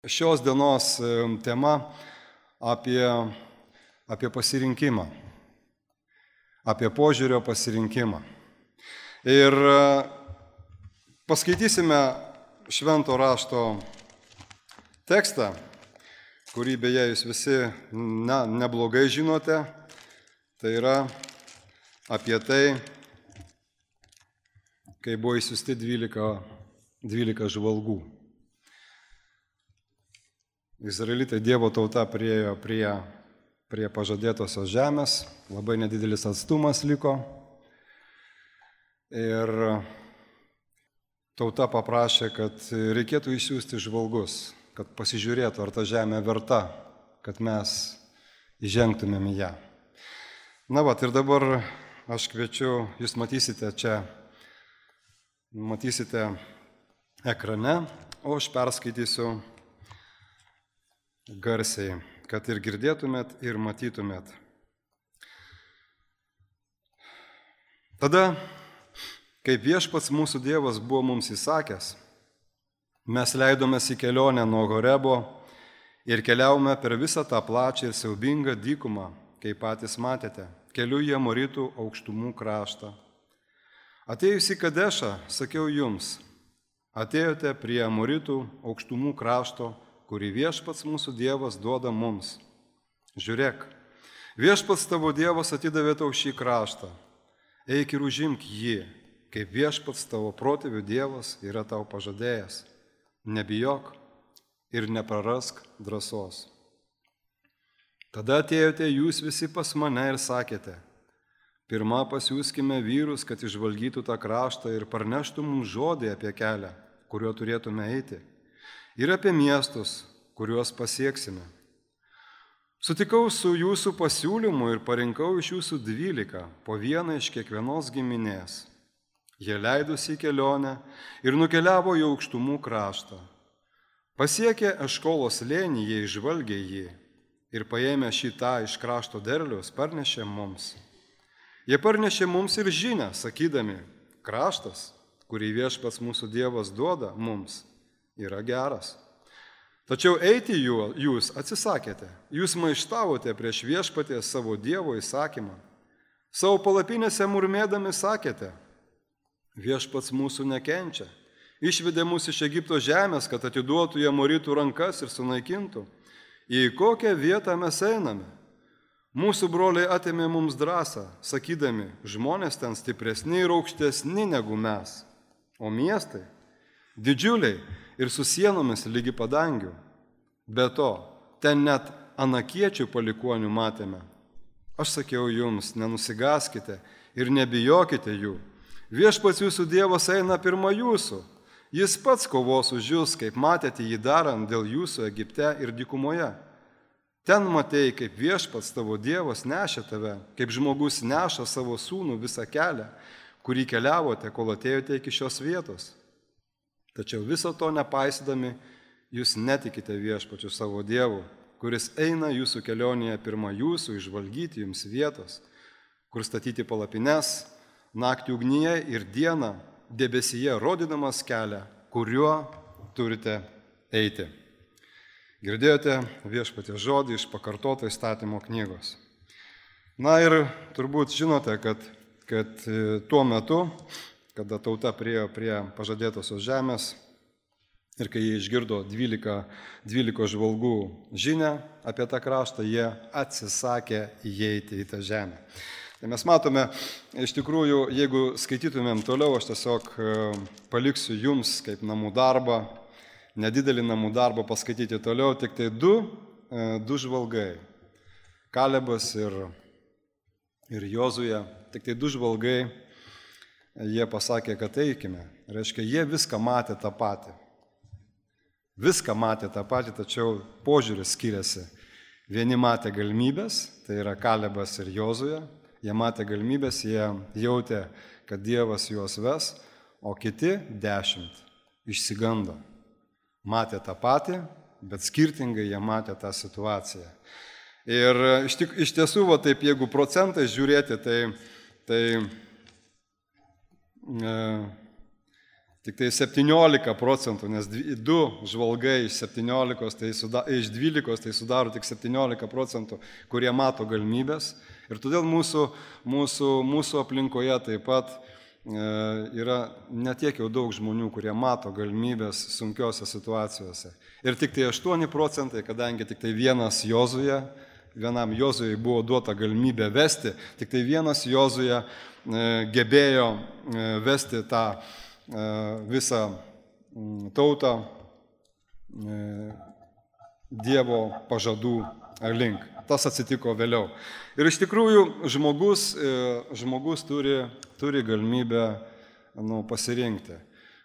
Šios dienos tema apie pasirinkimą, apie požiūrio pasirinkimą. Ir paskaitysime švento rašto tekstą, kurį beje jūs visi neblogai žinote. Tai yra apie tai, kai buvo išsiųsti 12 žvalgų. Izraelitai, Dievo tauta, priėjo prie pažadėtosios žemės, labai nedidelis atstumas liko ir tauta paprašė, kad reikėtų išsiųsti žvalgus, kad pasižiūrėtų, ar ta žemė verta, kad mes įžengtumėm į ją. Ir dabar aš kviečiu, jūs matysite ekrane, o aš perskaitysiu garsiai, kad ir girdėtumėt, ir matytumėt. Tada, kaip viešpats mūsų Dievas buvo mums įsakęs, mes leidomės į kelionę nuo Horebo ir keliaujame per visą tą plačią ir siaubingą dykumą, kaip patys matėte, keliu į Amoritų aukštumų kraštą. Atėjus į Kadešą, sakiau jums, atėjote prie Amoritų aukštumų krašto, kurį viešpats mūsų Dievas duoda mums. Žiūrėk, viešpats tavo Dievas atidavė tau šį kraštą. Eik ir užimk jį, kaip viešpats tavo protėvių Dievas yra tau pažadėjęs. Nebijok ir neprarask drąsos. Tada atėjote jūs visi pas mane ir sakėte, pirmą pasiųskime vyrus, kad išvalgytų tą kraštą ir parneštų mums žodį apie kelią, kuriuo turėtume eiti. Ir apie miestus, kuriuos pasieksime. Sutikau su jūsų pasiūlymu ir parinkau iš jūsų 12, po vieną iš kiekvienos giminės. Jie leidosi į kelionę ir nukeliavo į aukštumų kraštą. Pasiekę Eškolos slėnį, jie išžvalgė jį ir paėmę šitą iš krašto derliaus parnešė mums. Jie parnešė mums ir žinią, sakydami, kraštas, kurį viešpats mūsų Dievas duoda mums, yra geras. Tačiau eiti jūs atsisakėte, jūs maištavote prieš viešpatį savo Dievo įsakymą. Savo palapinėse murmėdami sakėte, viešpats mūsų nekenčia, išvedė mus iš Egipto žemės, kad atiduotų į Amoritų rankas ir sunaikintų. Į kokią vietą mes einame? Mūsų broliai atėmė mums drąsą, sakydami, žmonės ten stipresni ir aukštesni negu mes, o miestai didžiuliai ir su sienomis lygi padangių. Be to, ten net anakiečių palikuonių matėme. Aš sakiau jums, nenusigaskite ir nebijokite jų. Viešpats jūsų Dievas eina pirma jūsų. Jis pats kovos už jūs, kaip matėte jį darant dėl jūsų Egipte ir dykumoje. Ten matėjai, kaip viešpats tavo Dievas nešė tave, kaip žmogus neša savo sūnų visą kelią, kurį keliavote, kol atėjote iki šios vietos. Tačiau viso to nepaisydami, jūs netikite viešpačiu savo Dievu, kuris eina jūsų kelionėje pirma jūsų išvalgyti jums vietos, kur statyti palapines, naktį ugnyje ir dieną debesyje rodydamas kelią, kuriuo turite eiti. Girdėjote viešpaties žodį iš pakartoto įstatymo knygos. Ir turbūt žinote, kad tuo metu, kada tauta priėjo prie pažadėtosios žemės ir kai jie išgirdo 12 žvalgų žinią apie tą kraštą, jie atsisakė įeiti į tą žemę. Tai mes matome, iš tikrųjų, jeigu skaitytumėm toliau, aš tiesiog paliksiu jums kaip namų darbą, nedidelį namų darbą paskaityti toliau, tik tai du žvalgai, Kalebas ir Jozuė, tik tai 2 žvalgai. Jie pasakė, kad eikime. Reiškia, jie viską matė tą patį. Viską matė tą patį, tačiau požiūris skiriasi. Vieni matė galimybės, tai yra Kalebas ir Jozuė. Jie matė galimybės, jie jautė, kad Dievas juos ves, o kiti 10 išsigando. Matė tą patį, bet skirtingai jie matė tą situaciją. Ir iš tiesų, taip, jeigu procentai žiūrėti, tai Tik tai 17%, nes 2 žvalgai iš 17, iš 12 tai sudaro tik 17%, kurie mato galimybės. Ir todėl mūsų aplinkoje taip pat yra netiek jau daug žmonių, kurie mato galimybės sunkiose situacijose. Ir tik tai 8%, kadangi tik tai vienam Jozujai buvo duota galimybė vesti, tik tai vienas Jozuje gebėjo vesti tą visą tautą Dievo pažadų link. Tas atsitiko vėliau. Ir iš tikrųjų žmogus turi galimybę pasirinkti.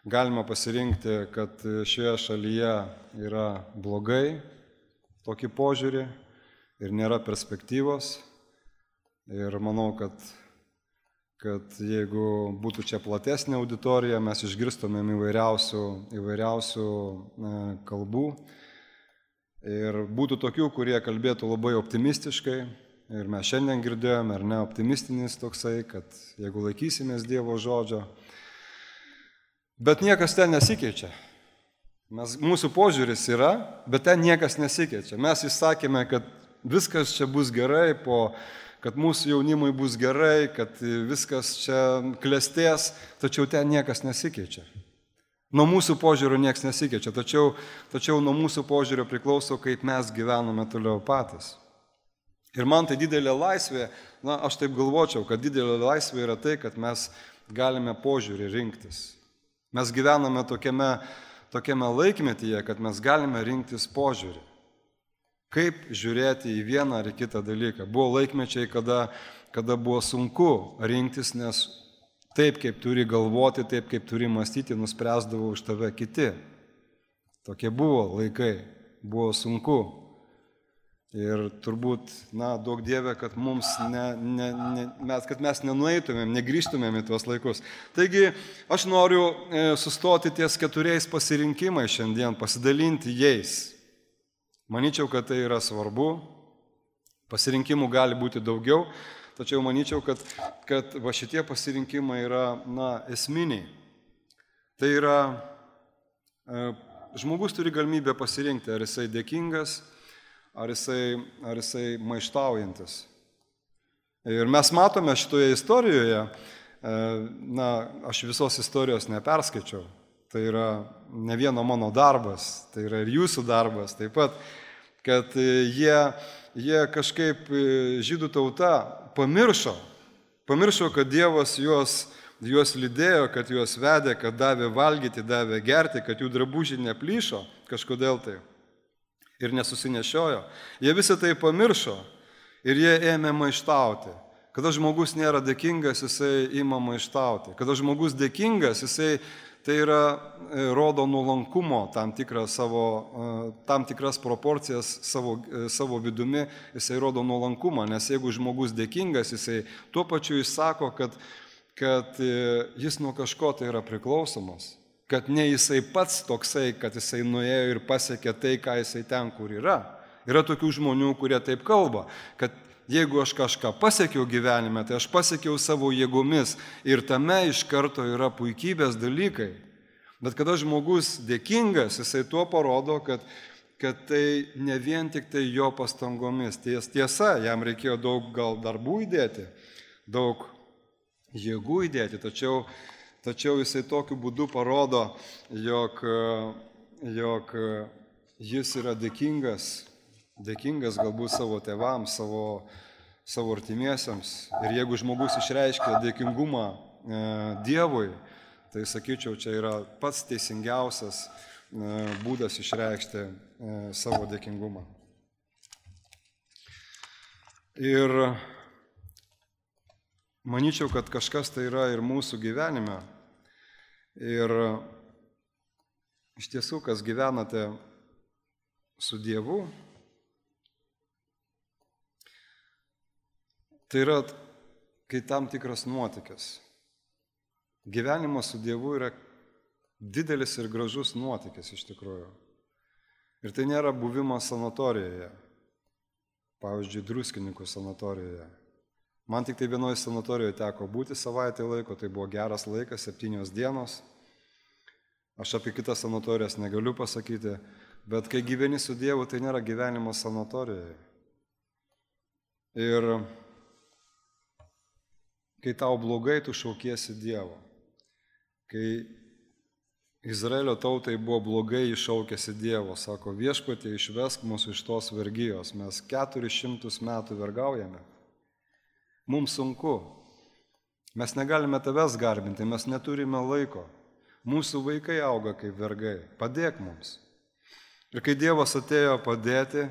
Galima pasirinkti, kad šioje šalyje yra blogai, tokį požiūrį ir nėra perspektyvos. Ir manau, kad jeigu būtų čia platesnė auditorija, mes išgirstumėm įvairiausių kalbų. Ir būtų tokių, kurie kalbėtų labai optimistiškai. Ir mes šiandien girdėjome, ar ne, optimistinis toksai, kad jeigu laikysimės Dievo žodžio. Bet niekas ten nesikeičia. Mūsų požiūris yra, bet ten niekas nesikeičia. Mes įsakėme, kad viskas čia bus gerai, kad mūsų jaunimui bus gerai, kad viskas čia klestės, tačiau ten niekas nesikeičia. Nuo mūsų požiūrio niekas nesikeičia, tačiau nuo mūsų požiūrio priklauso, kaip mes gyvename toliau patys. Ir man tai didelė laisvė, aš taip galvočiau, kad didelė laisvė yra tai, kad mes galime požiūrį rinktis. Mes gyvename tokiame laikmetyje, kad mes galime rinktis požiūrį. Kaip žiūrėti į vieną ar kitą dalyką. Buvo laikmečiai, kada buvo sunku rinktis, nes taip, kaip turi galvoti, taip, kaip turi mąstyti, nuspręsdavo už tave kiti. Tokie buvo laikai, buvo sunku. Ir turbūt, duok Dieve, kad mes nenueitumėm, negrįžtumėm į tuos laikus. Taigi, aš noriu sustoti ties 4 pasirinkimais šiandien, pasidalinti jais. Manyčiau, kad tai yra svarbu. Pasirinkimų gali būti daugiau, tačiau manyčiau, kad va šitie pasirinkimai yra, esminiai. Tai yra, žmogus turi galimybę pasirinkti, ar jisai dėkingas, ar jisai maištaujantis. Ir mes matome šitoje istorijoje, aš visos istorijos neperskaičiau, tai yra ne vieno mano darbas, tai yra ir jūsų darbas taip pat, kad jie kažkaip žydų tauta pamiršo, kad Dievas juos lydėjo, kad juos vedė, kad davė valgyti, davė gerti, kad jų drabužiai neplyšo kažkodėl tai. Ir nesusinešiojo. Jie visą tai pamiršo ir jie ėmė maištauti. Kada žmogus nėra dėkingas, jisai ima maištauti. Kada žmogus dėkingas, jisai tai yra rodo nuolankumo tam tikras proporcijas savo vidumi, jisai rodo nuolankumą, nes jeigu žmogus dėkingas, jisai tuo pačiu išsako, kad jis nuo kažko tai yra priklausomas. Kad ne jisai pats toksai, kad jisai nuėjo ir pasiekė tai, ką jisai ten, kur yra. Yra tokių žmonių, kurie taip kalba, kad jeigu aš kažką pasiekiau gyvenime, tai aš pasiekiau savo jėgomis ir tame iš karto yra puikybės dalykai. Bet kada žmogus dėkingas, jisai tuo parodo, kad tai ne vien tik tai jo pastangomis. Tiesa, jam reikėjo daug gal darbų įdėti, daug jėgų įdėti, tačiau jisai tokiu būdu parodo, jog jis yra dėkingas galbūt savo tėvams, savo artimiesiams. Ir jeigu žmogus išreiškia dėkingumą Dievui, tai sakyčiau, čia yra pats teisingiausias būdas išreikšti savo dėkingumą. Ir manyčiau, kad kažkas tai yra ir mūsų gyvenime. Ir iš tiesų, kas gyvenate su Dievu, tai yra kai tam tikras nuotykis. Gyvenimas su Dievu yra didelis ir gražus nuotykis iš tikrųjų. Ir tai nėra buvimas sanatorijoje, pavyzdžiui, Druskininkų sanatorijoje. Man tik tai vienoje sanatorijoje teko būti savaitę laiko, tai buvo geras laikas, 7 dienos. Aš apie kitas sanatorijas negaliu pasakyti, bet kai gyveni su Dievu, tai nėra gyvenimo sanatorijoje. Ir kai tau blogai, tu šaukiesi Dievo. Kai Izraelio tautai buvo blogai, iššaukėsi Dievo, sako, Viešpatie, išvesk mus iš tos vergijos, mes 400 metų vergaujame. Mums sunku, mes negalime tavęs garbinti, mes neturime laiko, mūsų vaikai auga kaip vergai, padėk mums. Ir kai Dievas atėjo padėti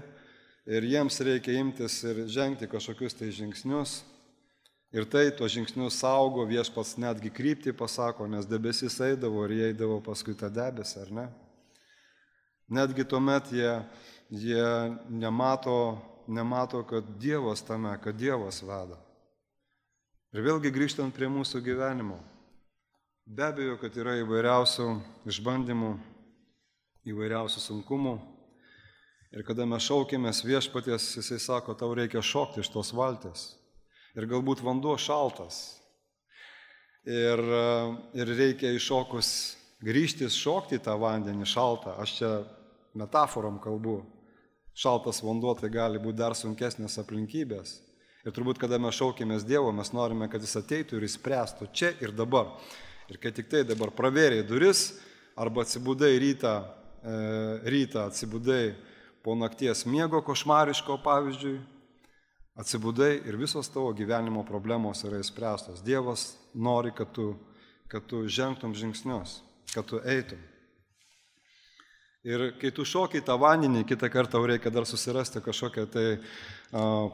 ir jiems reikia imtis ir žengti kažkokius tai žingsnius, ir tai tuos žingsnius saugo, Viešpats netgi kryptį pasako, nes debesis eidavo ir jie eidavo paskui tą debesį, ar ne? Netgi tuomet jie nemato, kad Dievas tame, kad Dievas veda. Ir vėlgi grįžtant prie mūsų gyvenimo. Be abejo, kad yra įvairiausių išbandymų, įvairiausių sunkumų. Ir kada mes šaukėmės Viešpaties, Jisai sako, tau reikia šokti iš tos valties. Ir galbūt vanduo šaltas. Ir reikia iššokus grįžtis, šokti į tą vandenį šaltą. Aš čia metaforom kalbu. Šaltas vanduo tai gali būti dar sunkesnės aplinkybės. Ir turbūt, kada mes šaukėmės Dievo, mes norime, kad Jis ateitų ir išspręstų čia ir dabar. Ir kai tik tai dabar pravėrė duris, arba atsibudai rytą atsibudai po nakties miego košmariško, pavyzdžiui, atsibudai ir visos tavo gyvenimo problemos yra išspręstos. Dievas nori, kad tu žengtum žingsnius, kad tu eitum. Ir kai tu šoki tą vandenį, kitą kartą tau reikia dar susirasti kažkokią tai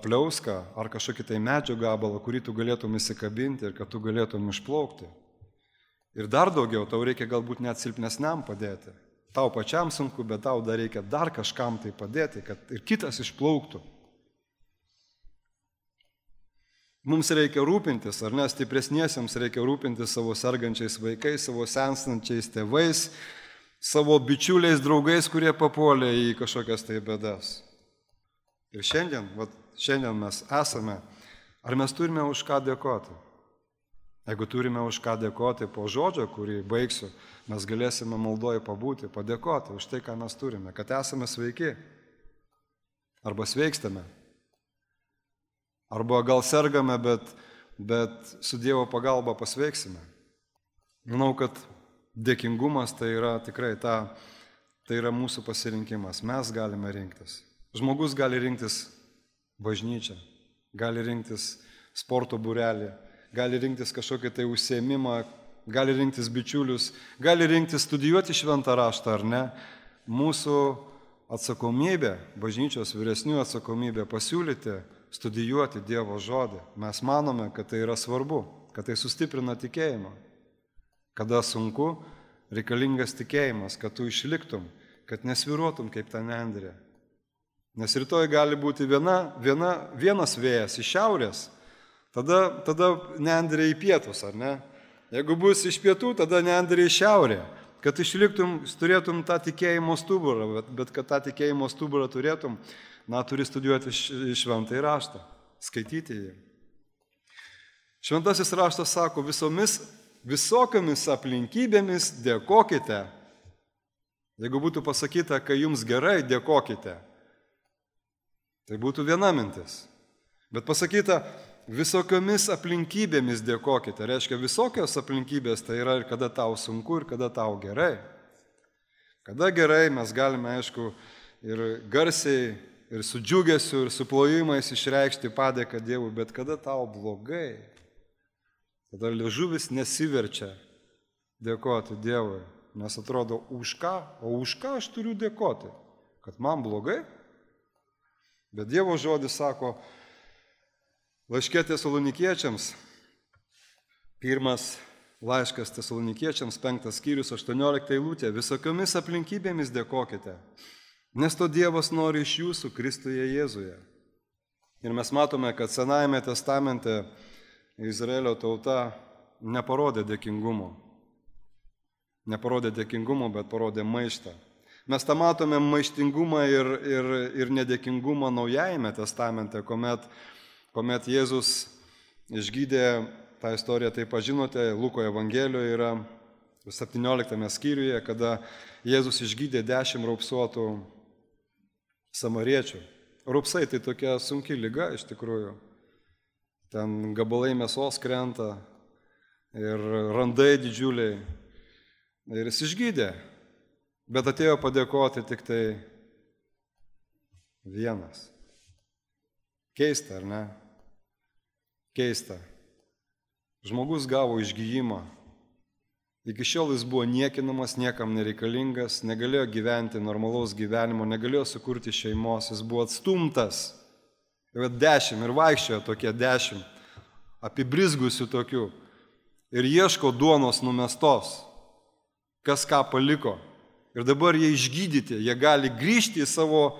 pliauską ar kažkokį tai medžio gabalą, kurį tu galėtum įsikabinti ir kad tu galėtum išplaukti. Ir dar daugiau, tau reikia galbūt net silpnesniam padėti. Tau pačiam sunku, bet tau dar reikia dar kažkam tai padėti, kad ir kitas išplauktų. Mums reikia rūpintis, ar ne, stipresniesiems reikia rūpintis savo sergančiais vaikais, savo senstančiais tėvais, savo bičiuliais, draugais, kurie papuolė į kažkokias tai bėdas. Ir šiandien mes esame, ar mes turime už ką dėkoti? Jeigu turime už ką dėkoti po žodžio, kurį baigsiu, mes galėsime maldoje pabūti, padėkoti už tai, ką mes turime, kad esame sveiki, arba sveikstame, arba gal sergame, bet su Dievo pagalba pasveiksime. Manau, kad dėkingumas tai yra tikrai tai yra mūsų pasirinkimas. Mes galime rinktis. Žmogus gali rinktis bažnyčią, gali rinktis sporto būrelį, gali rinktis kažkokį tai užsiėmimą, gali rinktis bičiulius, gali rinktis studijuoti šventą raštą ar ne. Mūsų atsakomybė, bažnyčios vyresnių atsakomybė pasiūlyti studijuoti Dievo žodį. Mes manome, kad tai yra svarbu, kad tai sustiprina tikėjimą. Kada sunku, reikalingas tikėjimas, kad tu išliktum, kad nesviruotum kaip ta nendrė. Nes rytoj gali būti vienas vėjas iš šiaurės, tada nendrė į pietus, ar ne? Jeigu bus iš pietų, tada nendrė į šiaurę. Kad išliktum, turėtum tą tikėjimo stuburą, bet kad tą tikėjimo stuburą turėtum, turi studijuoti šventąjį raštą, skaityti jį. Šventasis raštas sako, visokiamis aplinkybėmis dėkokite. Jeigu būtų pasakyta, kai jums gerai, dėkokite. Tai būtų viena mintis. Bet pasakyta, visokiamis aplinkybėmis dėkokite. Reiškia, visokios aplinkybės tai yra ir kada tau sunku, ir kada tau gerai. Kada gerai, mes galime, aišku, ir garsiai, ir su džiugesiu, ir su plojimais išreikšti padėką Dievui, bet kada tau blogai, tada liežuvis nesiverčia dėkoti Dievui, nes atrodo, už ką aš turiu dėkoti? Kad man blogai? Bet Dievo žodis sako, laiške Tesalonikiečiams, 1 laiškas Tesalonikiečiams, 5 skyrius, 18 eilutė, visokiomis aplinkybėmis dėkokite, nes to Dievas nori iš jūsų Kristuje Jėzuje. Ir mes matome, kad Senajame testamente Izraelio tauta neparodė dėkingumo. Neparodė dėkingumo, bet parodė maištą. Mes tą matome maištingumą ir nedėkingumą Naujajame testamente, kuomet Jėzus išgydė, tą istoriją taip pažinote, Luko Evangelijoje yra, 17 skyriuje, kada Jėzus išgydė 10 raupsuotų samariečių. Raupsai tai tokia sunki liga iš tikrųjų. Ten gabalai mėsos krenta ir randai didžiuliai. Ir jis išgydė, bet atėjo padėkoti tik tai vienas. Keista, ar ne? Keista. Žmogus gavo išgyjimą. Iki šiol jis buvo niekinamas, niekam nereikalingas, negalėjo gyventi normalaus gyvenimo, negalėjo sukurti šeimos, jis buvo atstumtas. Ir 10, ir vaikščiojo tokie 10, apibrizgusių tokių. Ir ieško duonos numestos, kas ką paliko. Ir dabar jie išgydyti, jie gali grįžti į savo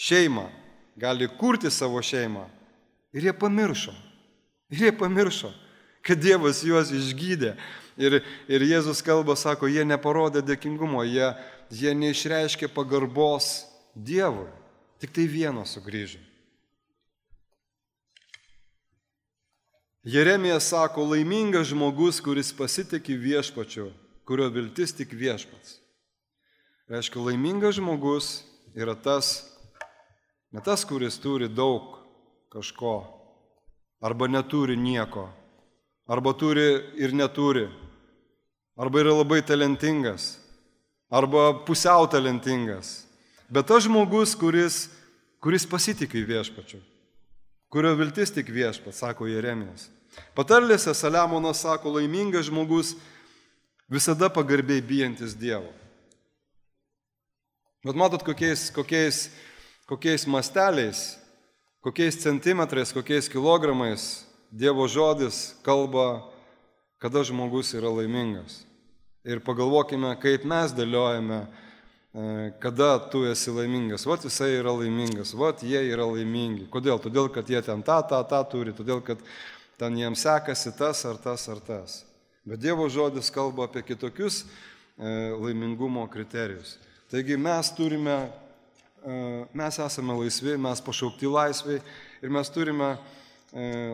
šeimą, gali kurti savo šeimą. Ir jie pamiršo, kad Dievas juos išgydė. Ir Jėzus kalba, sako, jie neparodė dėkingumo, jie neišreiškė pagarbos Dievui. Tik tai vienas sugrįžo. Jeremijas sako, laimingas žmogus, kuris pasitikė viešpačiu, kurio viltis tik viešpats. Reiškia, laimingas žmogus yra ne tas, kuris turi daug kažko, arba neturi nieko, arba turi ir neturi, arba yra labai talentingas, arba pusiau talentingas. Bet tas žmogus, kuris pasitikė viešpačiu, kurio viltis tik viešpats, sako Jeremijas. Patarlėse Saliamonas sako, laimingas žmogus visada pagarbiai bijantis Dievo. Bet matot, kokiais masteliais, kokiais centimetrais, kokiais kilogramais Dievo žodis kalba, kada žmogus yra laimingas. Ir pagalvokime, kaip mes dėliojame, kada tu esi laimingas. Vat jisai yra laimingas, vat jie yra laimingi. Kodėl? Todėl, kad jie ten tą turi, todėl, kad ten jiems sekasi tas ar tas. Bet Dievo žodis kalba apie kitokius laimingumo kriterijus. Taigi mes esame laisvi, mes pašaukti laisviai ir mes turime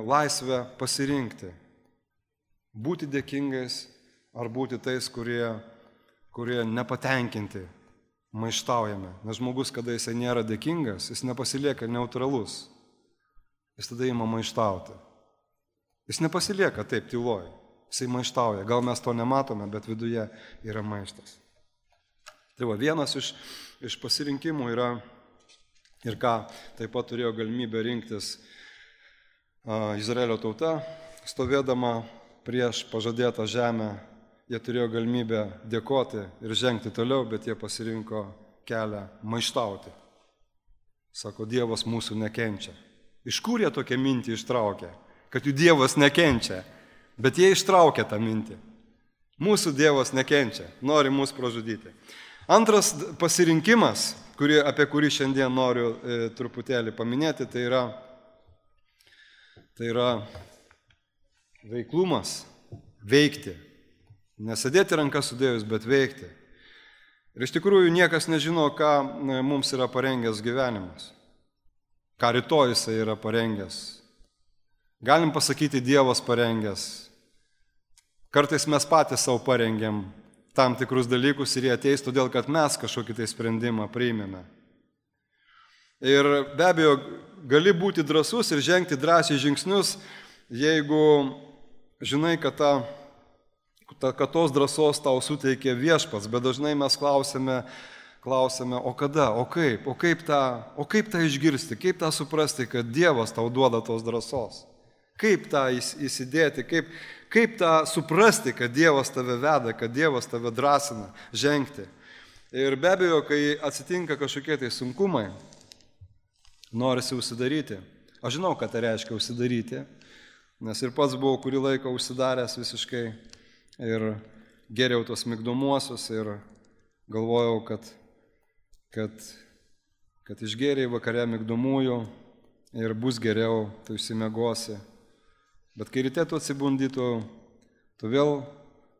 laisvę pasirinkti. Būti dėkingais ar būti tais, kurie nepatenkinti, maištaujame. Nes žmogus, kada jisai nėra dėkingas, jis nepasilieka neutralus. Jis tada ima maištauti. Jis nepasilieka taip tyloj. Jisai maištauja. Gal mes to nematome, bet viduje yra maištas. Tai va, vienas iš pasirinkimų yra, ir ką taip pat turėjo galimybę rinktis Izraelio tauta, stovėdama prieš pažadėtą žemę, jie turėjo galimybę dėkoti ir žengti toliau, bet jie pasirinko kelią maištauti. Sako, Dievas mūsų nekenčia. Iš kur jie tokią mintį ištraukė? Kad jų Dievas nekenčia, bet jie ištraukė tą mintį. Mūsų Dievas nekenčia, nori mus pražudyti. Antras pasirinkimas, apie kurį šiandien noriu truputėlį paminėti, tai yra veiklumas, veikti. Nesėdėti rankas sudėjus, bet veikti. Ir iš tikrųjų niekas nežino, ką mums yra parengęs gyvenimas. Ką rytoj jisai yra parengęs. Galim pasakyti, Dievas parengęs. Kartais mes patys savo parengėm tam tikrus dalykus ir jie ateis, todėl kad mes kažkokį tai sprendimą priimėme. Ir be abejo, gali būti drąsus ir žengti drąsiai žingsnius, jeigu žinai, kad tos drąsos tau suteikė viešpats, bet dažnai mes klausime, o kada, o kaip tą išgirsti, kaip tą suprasti, kad Dievas tau duoda tos drąsos, kaip tą įsidėti, kaip tą suprasti, kad Dievas tave veda, kad Dievas tave drąsina žengti. Ir be abejo, kai atsitinka kažkokie tai sunkumai, norisi užsidaryti. Aš žinau, ką tai reiškia užsidaryti, nes ir pats buvau kurį laiką užsidaręs visiškai ir geriau tos migdomuosius ir galvojau, kad išgėriai vakare migdomųjų ir bus geriau, tu išsimiegosi. Bet kai ryte tu atsibundi, tu vėl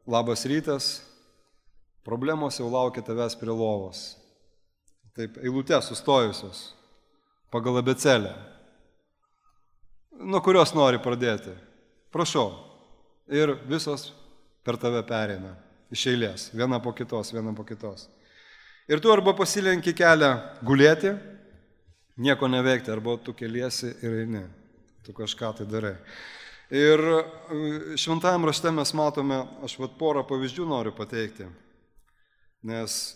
labas rytas, problemos jau laukia tavęs prie lovos. Taip, eilutės sustojusios pagal abėcėlę. Nuo kurios nori pradėti? Prašau. Ir visos per tave pereina. iš eilės, viena po kitos. Ir tu arba pasilenki kelią gulėti, nieko neveikti, arba tu keliesi ir eini, tu kažką tai darai. Ir šventajame rašte mes matome, aš porą pavyzdžių noriu pateikti, nes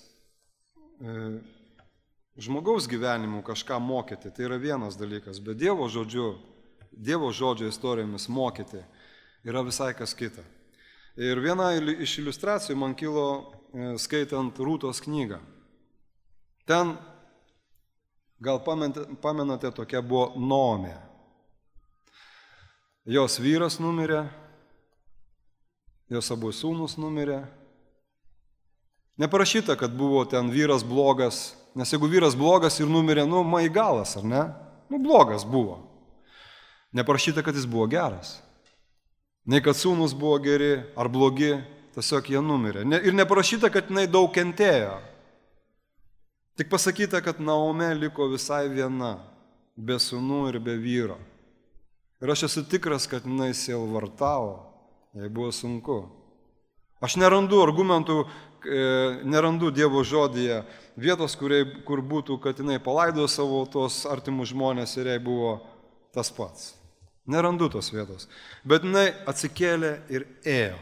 žmogaus gyvenimu kažką mokyti, tai yra vienas dalykas, bet Dievo žodžio istorijomis mokyti yra visai kas kita. Ir viena iš iliustracijų man kilo skaitant Rūtos knygą. Ten, gal pamenate, tokia buvo Naomė. Jos vyras numirė, jos abu sūnus numirė. Neparašyta, kad buvo ten vyras blogas, nes jeigu vyras blogas ir numirė, maigalas, ar ne? Blogas buvo. Neparašyta, kad jis buvo geras. Nei kad sūnus buvo geri ar blogi, tiesiog jie numirė. Ir neparašyta, kad jinai daug kentėjo. Tik pasakyta, kad Naomė liko visai viena, be sūnų ir be vyro. Ir aš esu tikras, kad jinai sielvartavo, jai buvo sunku. Aš nerandu argumentų, nerandu Dievo žodyje vietos, kur būtų, kad jinai palaido savo tos artimus žmonės ir jai buvo tas pats. Nerandu tos vietos. Bet jinai atsikėlė ir ėjo.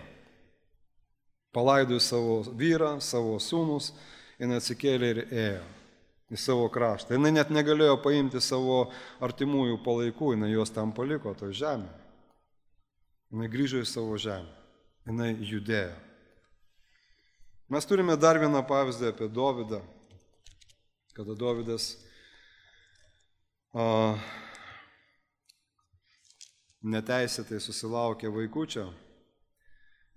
Palaido savo vyrą, savo sūnus, jinai atsikėlė ir ėjo į savo kraštą. Jinai net negalėjo paimti savo artimųjų palaikų, jinai juos tam paliko, toj žemė. Jinai grįžo į savo žemę, jinai judėjo. Mes turime dar vieną pavyzdį apie Dovydą, kada Dovydas neteisėtai susilaukė vaikučio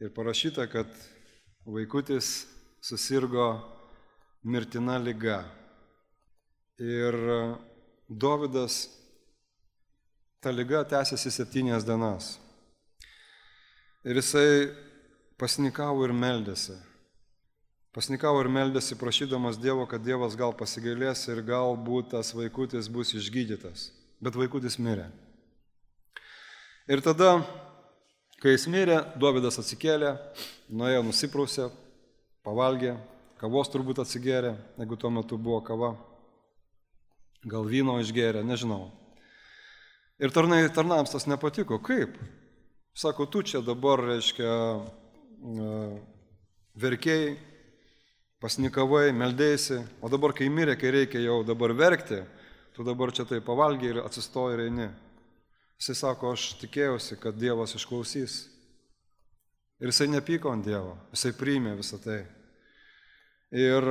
ir parašyta, kad vaikutis susirgo mirtina liga. Ir Dovydas, ta liga tęsiasi 7 dienas. Ir jisai pasnikavo ir meldėsi. Pasnikavo ir meldėsi, prašydamas Dievo, kad Dievas gal pasigailės ir galbūt tas vaikutis bus išgydytas. Bet vaikutis mirė. Ir tada, kai jis mirė, Dovydas atsikėlė, nuėjo, nusiprausė, pavalgė, kavos turbūt atsigėrė, jeigu tuo metu buvo kava. Gal vyno išgėrė, nežinau. Ir tarnams tas nepatiko. Kaip? Sako, tu čia dabar, reiškia, verkėjai, pasnikavai, meldėsi, o dabar, kai mirė, kai reikia jau dabar verkti, tu dabar čia tai pavalgiai ir atsistoji ir eini. Jisai sako, aš tikėjausi, kad Dievas išklausys. Ir jisai nepyko ant Dievo, jisai priėmė visą tai. Ir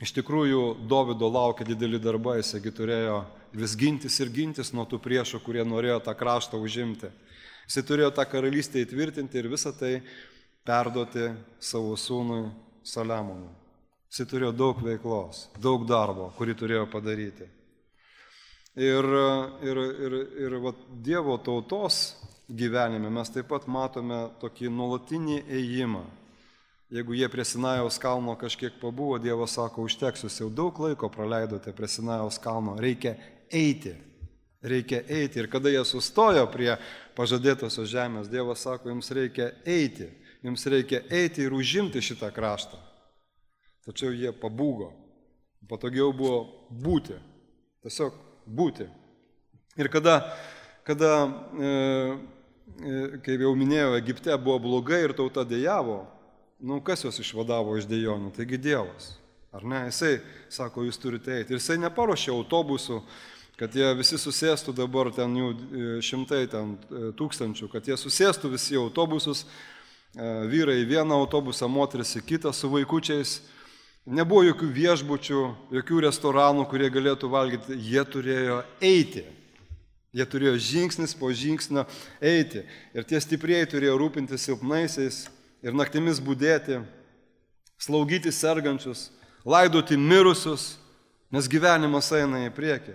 iš tikrųjų, Dovydo laukia dideli darbai, jisai turėjo vis gintis nuo tų priešų, kurie norėjo tą kraštą užimti. Jisai turėjo tą karalystę įtvirtinti ir visą tai perduoti savo sūnui Saliamonui. Jisai turėjo daug veiklos, daug darbo, kurį turėjo padaryti. Ir Dievo tautos gyvenime mes taip pat matome tokį nuolatinį ėjimą. Jeigu jie prie Sinajaus kalno kažkiek pabuvo, Dievas sako, užteks, jūs jau daug laiko praleidote prie Sinajaus kalno, reikia eiti. Ir kada jie sustojo prie pažadėtosios žemės, Dievas sako, jums reikia eiti ir užimti šitą kraštą. Tačiau jie pabūgo, patogiau buvo būti, tiesiog būti. Ir kada kaip jau minėjau, Egipte buvo blogai ir tauta dejavo, kas jos išvadavo iš dejonių? Taigi Dievas, ar ne? Jisai sako, jūs turite eiti. Ir jisai neparuošė autobusų, kad jie visi susėstų, dabar ten jų šimtai tūkstančių, kad jie susėstų visi į autobusus, vyrai į vieną autobusą, moteris į kitą su vaikučiais. Nebuvo jokių viešbučių, jokių restoranų, kurie galėtų valgyti. Jie turėjo eiti. Jie turėjo žingsnis po žingsnio eiti. Ir tie stiprieji turėjo rūpinti silpnaisiais ir naktimis budėti, slaugyti sergančius, laidoti mirusius, nes gyvenimas eina į priekį.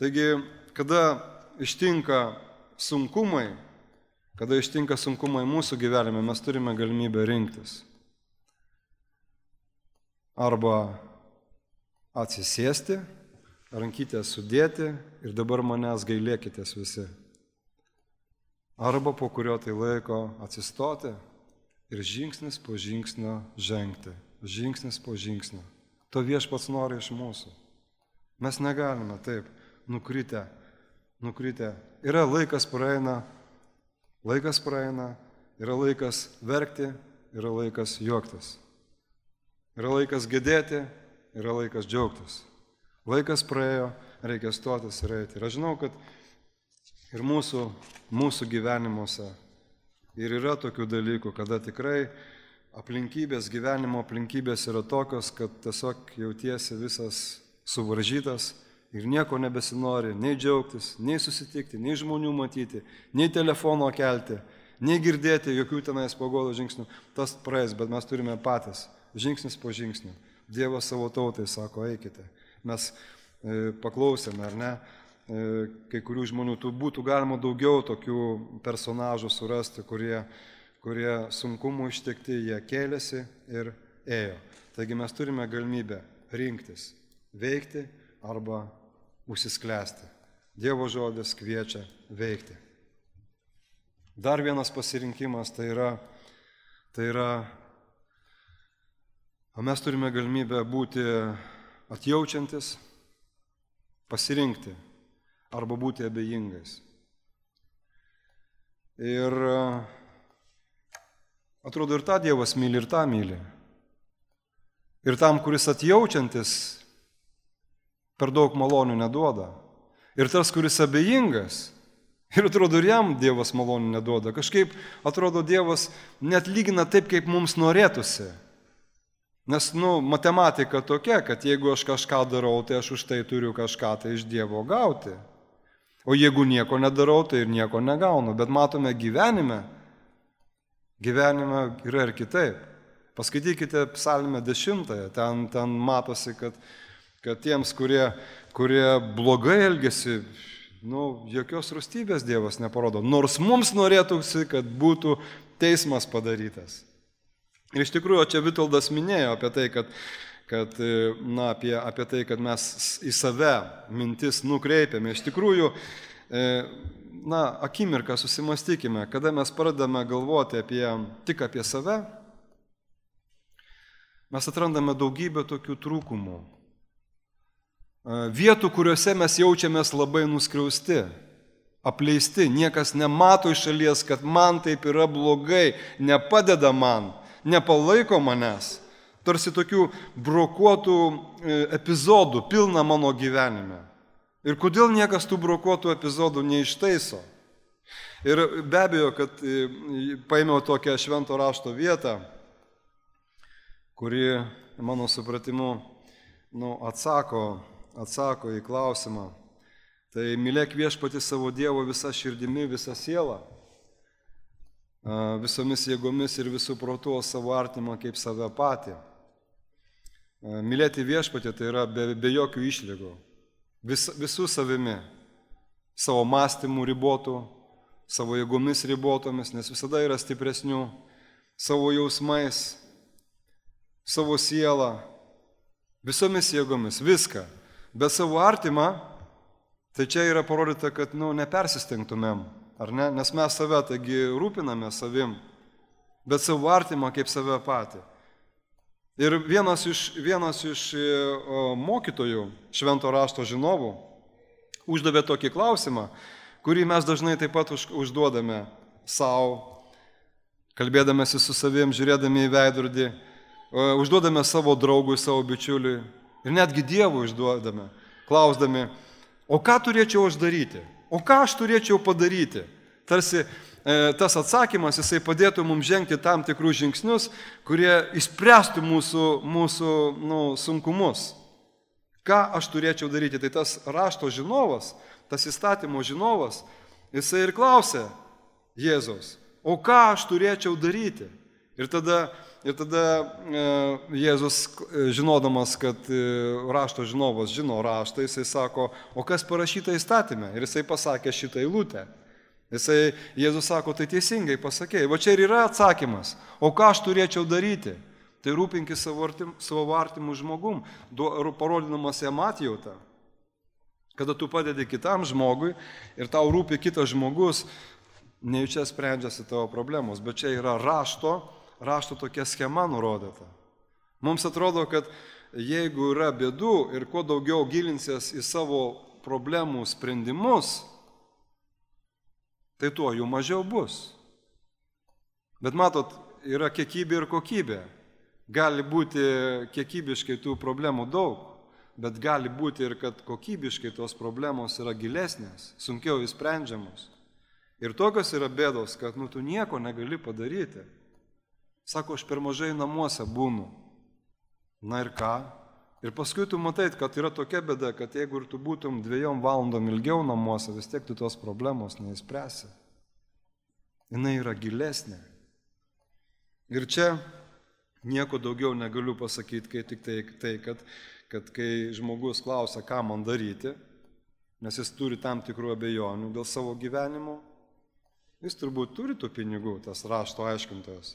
Taigi, kada ištinka sunkumai mūsų gyvenime, mes turime galimybę rinktis. Arba atsisėsti, rankytės sudėti ir dabar manęs gailėkitės visi. Arba po kurio tai laiko atsistoti ir žingsnis po žingsnio žengti. Žingsnis po žingsnio. To Viešpats nori iš mūsų. Mes negalime taip nukritę. Yra laikas praeina, yra laikas verkti, yra laikas juoktis. Yra laikas gedėti, yra laikas džiaugtis. Laikas praėjo, reikia stotis ir eiti. Ir aš žinau, kad ir mūsų gyvenimuose ir yra tokių dalykų, kada tikrai gyvenimo aplinkybės yra tokios, kad tiesiog jautiesi visas suvaržytas ir nieko nebesinori, nei džiaugtis, nei susitikti, nei žmonių matyti, nei telefono kelti, nei girdėti jokių tenais paguodos žingsnių. Tas praeis, bet mes turime patys, žingsnis po žingsnio. Dievas savo tautai sako, eikite. Mes paklausėme, ar ne, kai kurių žmonių, būtų galima daugiau tokių personažų surasti, kurie sunkumų ištikti, jie kėlėsi ir ėjo. Taigi mes turime galimybę rinktis, veikti arba užsisklęsti. Dievo žodis kviečia veikti. Dar vienas pasirinkimas tai yra, mes turime galimybę būti atjaučiantis, pasirinkti arba būti abejingais. Ir atrodo, ir tą Dievas myli, ir tą myli. Ir tam, kuris atjaučiantis, per daug malonių neduoda. Ir tas, kuris abejingas, ir atrodo, ir jam Dievas malonių neduoda. Kažkaip, atrodo, Dievas net lygina taip, kaip mums norėtųsi. Nes, matematika tokia, kad jeigu aš kažką darau, tai aš už tai turiu kažką tai iš Dievo gauti. O jeigu nieko nedarau, tai ir nieko negaunu. Bet matome gyvenime yra ir kitaip. Paskaitykite Psalmę 10, ten matosi, kad tiems, kurie blogai elgesi, jokios rūstybės Dievas neparodo. Nors mums norėtųsi, kad būtų teismas padarytas. Ir iš tikrųjų, čia Vitoldas minėjo apie tai, apie tai, kad mes į save mintis nukreipiame. Iš tikrųjų, akimirką susimastykime, kada mes pradame galvoti tik apie save, mes atrandame daugybę tokių trūkumų. Vietų, kuriuose mes jaučiamės labai nuskriausti, apleisti, niekas nemato iš šalies, kad man taip yra blogai, nepadeda man, nepalaiko manęs. Tarsi tokių brokuotų epizodų pilna mano gyvenime. Ir kodėl niekas tų brokuotų epizodų neištaiso? Ir be abejo, kad paėmiau tokią švento rašto vietą, kuri, mano supratimu, atsako į klausimą. Tai mylėk viešpatį savo Dievo visą širdimi, visą sielą, visomis jėgomis ir visų protų savo artimą kaip save patį. Mylėti viešpatį tai yra be jokių išlygų. Visų savimi, savo mąstymų ribotų, savo jėgomis ribotomis, nes visada yra stipresnių, savo jausmais, savo sielą, visomis jėgomis, viską. Bet savo artimą, tai čia yra parodyta, kad nepersistengtumėm, ar ne? Nes mes save, taigi rūpiname savim, bet savo artimą kaip save patį. Ir vienas iš mokytojų, švento rašto žinovų, uždavė tokį klausimą, kurį mes dažnai taip pat užduodame savo, kalbėdamėsi su savim, žiūrėdami į veidrodį, užduodame savo draugui, savo bičiuliui ir netgi Dievui užduodame, klausdami, o ką turėčiau aš daryti, o ką aš turėčiau padaryti. Tarsi tas atsakymas, jisai padėtų mums žengti tam tikrus žingsnius, kurie išspręstų mūsų sunkumus. Ką aš turėčiau daryti? Tai tas rašto žinovas, tas įstatymo žinovas, jisai ir klausė Jėzaus, o ką aš turėčiau daryti? Ir tada Jėzus, žinodamas, kad rašto žinovas žino raštą, jisai sako, o kas parašyta įstatyme? Ir jisai pasakė šitą eilutę. Jėzus sako, tai teisingai pasakėjai. Va čia ir yra atsakymas. O ką aš turėčiau daryti? Tai rūpinkis savo artimų žmogum, parodinamas jam atjautą. Kada tu padedi kitam žmogui ir tau rūpi kitas žmogus, nejučia sprendžiasi tavo problemos. Bet čia yra rašto tokia schema nurodyta. Mums atrodo, kad jeigu yra bėdų ir kuo daugiau gilinsies į savo problemų sprendimus, tai tuo jų mažiau bus. Bet matot, yra kiekybė ir kokybė. Gali būti kiekybiškai tų problemų daug, bet gali būti ir kad kokybiškai tos problemos yra gilesnės, sunkiau įsprendžiamos. Ir tokios yra bėdos, kad tu nieko negali padaryti. Sako, aš per mažai namuose būnu. Na ir ką? Ir paskui tu matai, kad yra tokia bėda, kad jeigu ir tu būtum 2 valandom ilgiau namuose, vis tiek tu tos problemos neįspręsi. Jinai yra gilesnė. Ir čia nieko daugiau negaliu pasakyti, kai tik tai, kad kai žmogus klausia, ką man daryti, nes jis turi tam tikrų abejonių dėl savo gyvenimo, jis turbūt turi tų pinigų, tas rašto aiškintojas.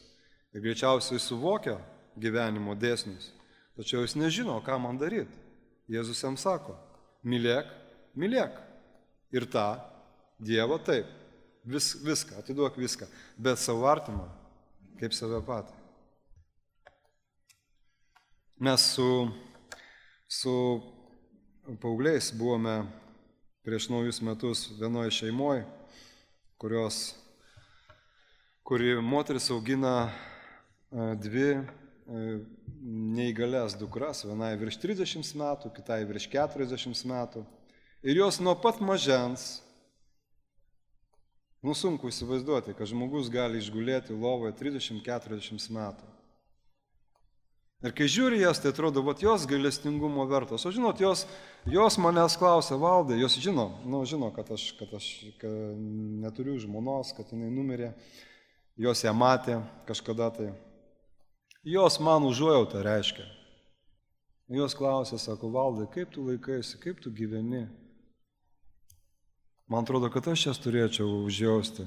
Ir greičiausiai suvokia gyvenimo dėsnius, tačiau jis nežino, ką man daryti. Jėzus jam sako, mylėk, mylėk. Ir tą Dievą taip, viską, atiduok viską, bet savo artimą, kaip save patį. Mes su paaugliais buvome prieš naujus metus vienoje šeimoje, kuri moteris augina 2 neįgalias dukras, vienai virš 30 metų, kitai virš 40 metų. Ir jos nuo pat mažens, sunku įsivaizduoti, kad žmogus gali išgulėti lovoje 30-40 metų. Ir kai žiūri jas, tai atrodo, jos gailestingumo vertos. O žinot, jos manęs klausia, Valdai, jos žino, kad aš neturiu žmonos, kad jinai numirė, jos ją matė kažkada tai. Jos man užuojautą reiškia. Jos klausia, sako, Valdai, kaip tu laikaisi, kaip tu gyveni? Man atrodo, kad aš jas turėčiau užjausti,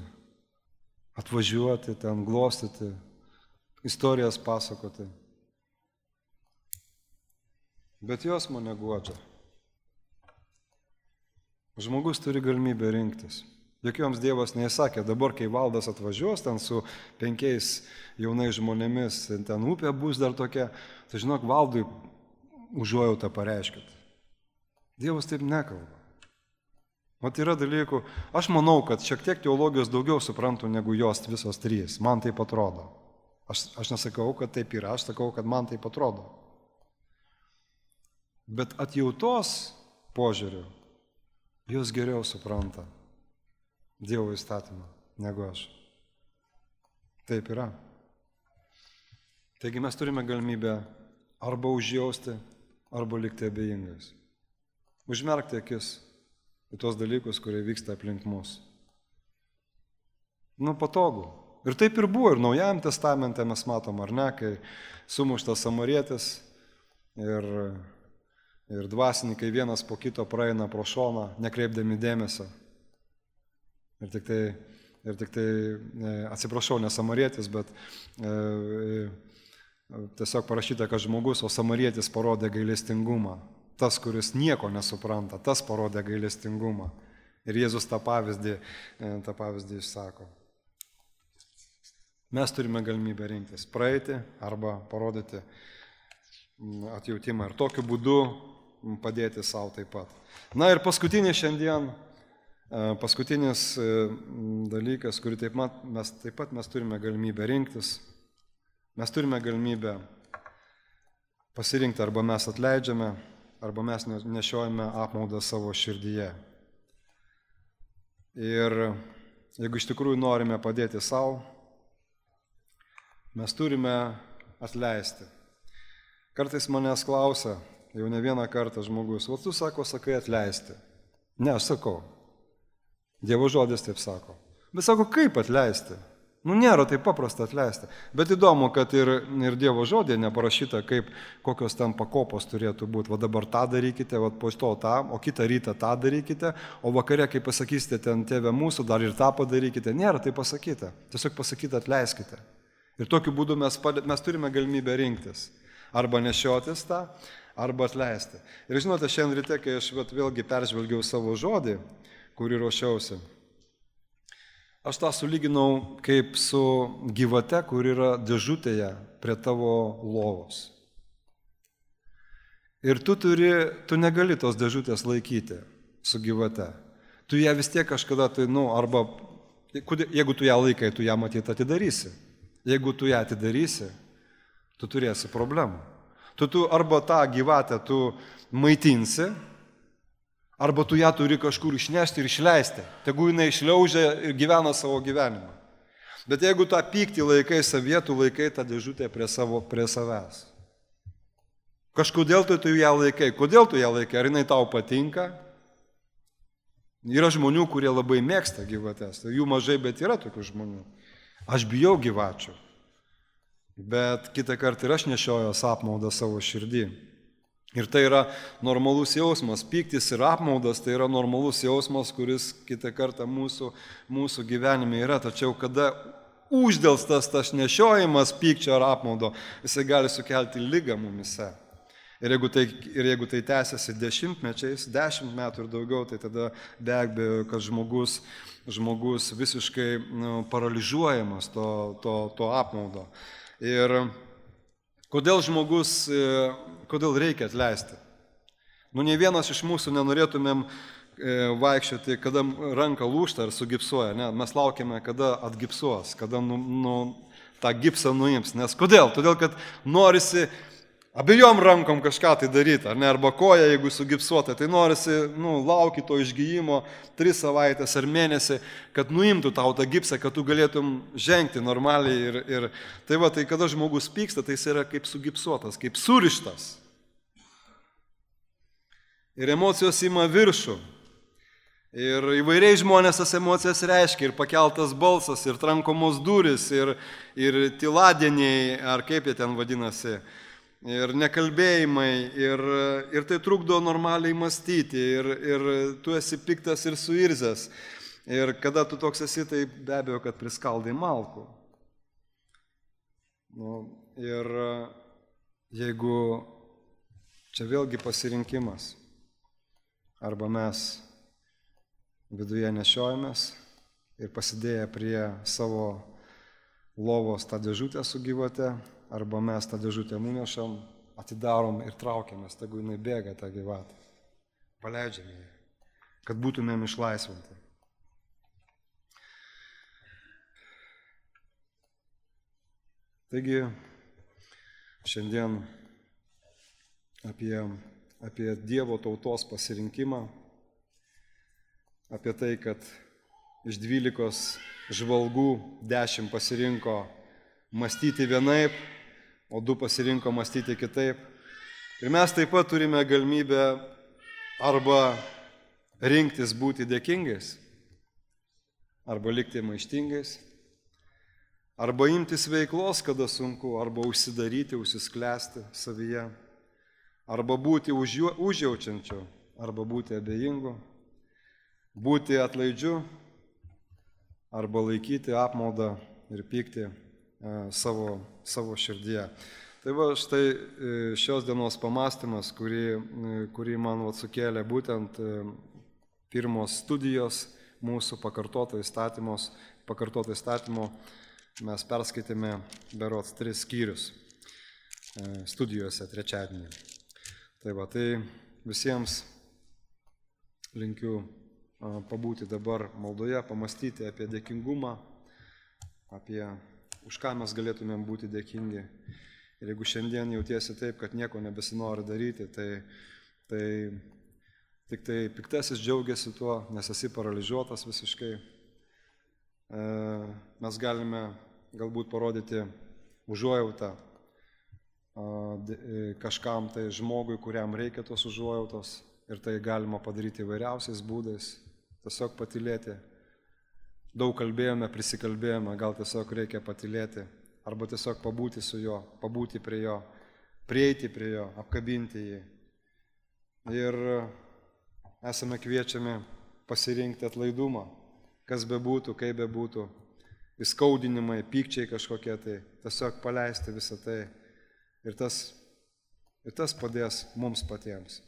atvažiuoti, ten glostyti, istorijas pasakoti. Bet jos mane guodžia. Žmogus turi galimybę rinktis. Juk joms Dievas neįsakė, dabar kai Valdas atvažiuos ten su 5 jaunais žmonėmis, ten upė bus dar tokia, tai žinok, Valdui užuojautą pareiškit. Dievas taip nekalba. Mat yra dalykų, aš manau, kad šiek tiek teologijos daugiau suprantu negu jos visos 3. Man taip atrodo. Aš nesakau, kad taip yra, aš sakau, kad man taip atrodo. Bet atjautos požiūriu, jos geriau supranta Dievo įstatymą negu aš. Taip yra. Taigi mes turime galimybę arba užjausti, arba likti abejingais. Užmerkti akis į tuos dalykus, kurie vyksta aplink mus. Patogu. Ir taip ir buvo, ir Naujajam testamente mes matom, ar ne, kai sumuštas samarietis ir dvasininkai vienas po kito praeina pro šoną, nekreipdami dėmesio. Ir tik tai, atsiprašau, ne samarietis, bet tiesiog parašyta, kad žmogus, o samarietis parodė gailestingumą. Tas, kuris nieko nesupranta, tas parodė gailestingumą. Ir Jėzus tą pavyzdį išsako. Mes turime galimybę rinktis, praeiti arba parodyti atjautimą ir tokiu būdu padėti savo taip pat. Na ir paskutinis dalykas, kurį taip pat mes turime galimybę rinktis. Mes turime galimybę pasirinkti, arba mes atleidžiame, arba mes nešiojame apmaudą savo širdyje. Ir jeigu iš tikrųjų norime padėti savo, mes turime atleisti. Kartais manęs klausia, jau ne vieną kartą žmogus, o tu sakai atleisti. Ne, aš sakau. Dievo žodis taip sako. Bet sako, kaip atleisti? Nėra taip paprasta atleisti. Bet įdomu, kad ir Dievo žodė neparašyta, kokios ten pakopos turėtų būti. Va dabar tą darykite, va po to tą, o kitą rytą tą darykite, o vakare, kai pasakysite ten Tėve mūsų, dar ir tą padarykite. Nėra taip pasakyta. Tiesiog pasakyti atleiskite. Ir tokiu būdu mes turime galimybę rinktis. Arba nešiotis tą, arba atleisti. Ir žinote, šiandien ryte, kai aš vėlgi peržvelgiau savo žodį, kurį ruošiausi, Aš tą sulyginau kaip su gyvate, kur yra dėžutėje prie tavo lovos. Ir tu negali tos dėžutės laikyti su gyvate. Tu ją vis tiek kažkada, arba jeigu tu ją laikai, tu ją matyt atidarysi. Jeigu tu ją atidarysi, tu turėsi problemų. Tu arba tą gyvatę tu maitinsi, arba tu ją turi kažkur išnešti ir išleisti. Tegu jinai išliaužia ir gyvena savo gyvenimą. Bet jeigu tą pyktį laikai savyje, tu laikai tą dėžutę prie savęs. Kažkodėl tu ją laikai. Kodėl tu ją laikai? Ar jinai tau patinka? Yra žmonių, kurie labai mėgsta gyvates. Jų mažai, bet yra tokių žmonių. Aš bijau gyvačių. Bet kitą kartą ir aš nešiojos apmaudą savo širdį. Ir tai yra normalus jausmas. Pyktis ir apmaudas tai yra normalus jausmas, kuris kitą kartą mūsų gyvenime yra. Tačiau kada uždelstas tas nešiojimas pykčio ar apmaudo, jisai gali sukelti ligą mumise. Ir jeigu tai tęsiasi 10 metų ir daugiau, tai tada be abejo, kad žmogus visiškai paralyžiuojamas to apmaudo. Ir kodėl reikia atleisti? Ne vienas iš mūsų nenorėtumėm vaikščioti, kada ranka lūžta ar sugipsuoja. Ne? Mes laukiame, kada atgipsuos, kada tą gipsą nuims. Nes kodėl? Todėl, kad norisi abiejom rankom kažką tai daryti, ar ne, arba koja, jeigu sugipsuota, tai norisi, lauki to išgyjimo 3 savaitės ar mėnesį, kad nuimtų tau tą gipsą, kad tu galėtum žengti normaliai ir tai kada žmogus pyksta, tai jis yra kaip sugipsuotas, kaip surištas. Ir emocijos ima viršų. Ir įvairiai žmonės tas emocijas reiškia, ir pakeltas balsas, ir trankomos durys, ir tyladieniai, ar kaip jie ten vadinasi, ir nekalbėjimai, ir tai trukdo normaliai mąstyti, ir tu esi piktas ir suirzęs. Ir kada tu toks esi, tai be abejo, kad priskaldai malkų. Ir jeigu čia vėlgi pasirinkimas, arba mes viduje nešiojamės ir pasidėję prie savo lovos tą dėžutę su gyvate, arba mes tą dėžutę nunešam, atidarom ir traukiamės, tegu jinai bėga tą gyvatę. Paleidžiame ją, kad būtumėm išlaisvinti. Taigi, šiandien apie Dievo tautos pasirinkimą, apie tai, kad iš 12 žvalgų 10 pasirinko mąstyti vienaip, o 2 pasirinko mąstyti kitaip. Ir mes taip pat turime galimybę arba rinktis būti dėkingais, arba likti maištingais, arba imtis veiklos, kada sunku, arba užsidaryti, užsisklęsti savyje, arba būti užjaučiančiu, arba būti abejingu, būti atlaidžiu, arba laikyti apmaudą ir pykti savo širdyje. Tai va, štai šios dienos pamąstymas, kurį man sukėlė būtent pirmos studijos mūsų pakartoto įstatymo, mes perskaitėme berods 3 skyrius studijose trečiadienį. Tai va, tai visiems linkiu pabūti dabar maldoje, pamastyti apie dėkingumą, apie už ką mes galėtumėm būti dėkingi. Ir jeigu šiandien jautiesi taip, kad nieko nebesinori daryti, tai tik tai piktasis džiaugiasi tuo, nes esi paralyžiuotas visiškai. Mes galime galbūt parodyti užuojautą kažkam tai žmogui, kuriam reikia tos užuojautos. Ir tai galima padaryti įvairiausiais būdais. Tiesiog patylėti. Daug kalbėjome, prisikalbėjome, gal tiesiog reikia patylėti, arba tiesiog pabūti su juo, pabūti prie jo, prieiti prie jo, apkabinti jį. Ir esame kviečiami pasirinkti atlaidumą, kas bebūtų, kaip bebūtų, įskaudinimai, pykčiai kažkokie, tai tiesiog paleisti visą tai. Ir tas padės mums patiems.